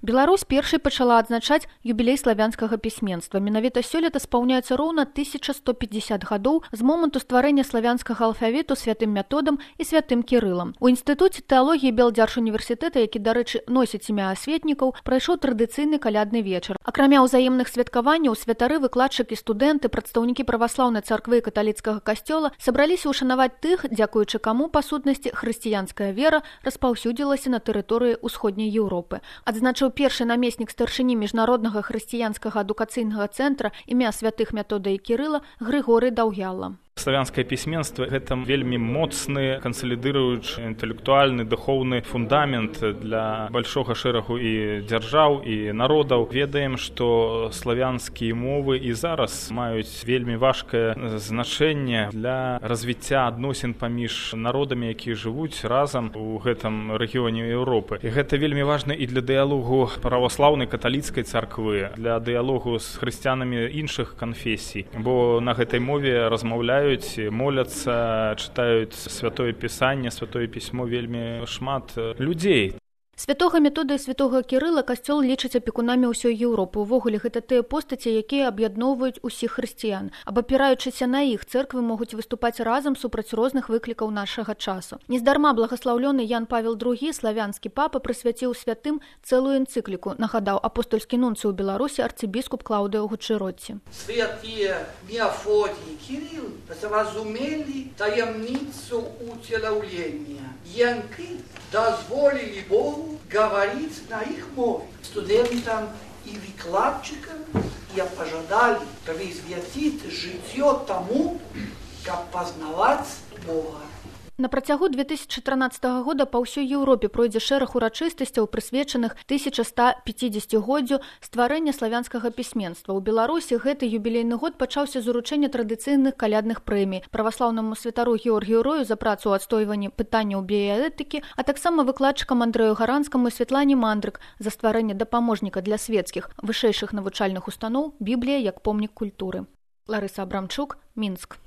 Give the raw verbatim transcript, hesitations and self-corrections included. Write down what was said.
Беларусь першай пачала адзначаць юбілей славянскага пісьменства. Менавіта сёлета спаўняецца роўна тысяча сто пятьдесят гадоў з моманту стварэння славянскага алфавіту святым Методам і святым Кірылам. У інстытуце тэалогіі Белдзяржуніверсітэта, які, дарэчы, носіць імя асветнікаў, прайшоў традыцыйны калядны вечар. Акрамя ўзаемных святкаванняў, святары, выкладчыкі, студэнты, прадстаўнікі праваслаўнай царквы і каталіцкага касцёла сабраліся ўшанаваць тых, дзякуючы каму, па сутнасці, хрысціянская вера распаўсюдзілася на тэрыторыі ўсходняй Еўропы. Адзначыў першы намеснік старшыні міжнароднага хрысціянскага адукацыйнага цэнтра імя святых Метода і Кірыла Грыгорый Даўгяла. Славянскае пісьменства – гэта вельмі моцны, кансалідыруючы інтэлектуальны, духоўны фундамент для большога шэрагу і дзяржаў, і народаў. Ведаем, што славянскія мовы і зараз маюць вельмі важкае значэнне для развіцця адносін паміж народамі, якія жывуць разам у гэтым рэгіёне Еўропы. І гэта вельмі важна і для дыялогу праваслаўнай каталіцкай царквы, для дыялогу з хрысціянамі іншых канфесій, бо на гэтай мове размаўляюць, моляцца, чытаюць святое пісанне, святое пісьмо вельмі шмат людзей. Святога Метода і святога Кірыла касцёл лічыць апекунамі ўсёй Еўропы. Увогуле, гэта тыя постаці, якія аб'ядноўваюць усіх хрысціян. Абапіраючыся на іх, цэрквы могуць выступаць разам супраць розных выклікаў нашага часу. Нездарма благаслаўлёны Ян Павел другі, славянскі папа, прысвяціў святым цэлую энцыкліку, нагадаў апостольскі нунцый у Беларусі арцыбіскуп Клаўдыо Гучэротці. Святыя Мефодій і Кірыл зразумелі таямніцу уцелаўлення, які дазволілі Богу говорить на их мове. Студентам и выкладчикам я пожадали присвятить житье тому, как познавать Бога. На працягу две тысячи трынаццатага года па ўсёй Еўропе пройдзе шэраг урачыстасцяў, прысвечаных тысяча ста пяцідзесяцігоддзю стварэння славянскага пісьменства. У Беларусі гэты юбілейны год пачаўся з уручэння традыцыйных калядных прэмій праваслаўнаму святару Георгію Рою за працу ў адстойванні пытанняў біяэтыкі, а таксама выкладчыкам Андрэю Гаранскаму і Святлане Мандрык за стварэнне дапаможніка для свецкіх вышэйшых навучальных устаноў «Біблія як помнік культуры». Ларыса Абрамчук, Мінск.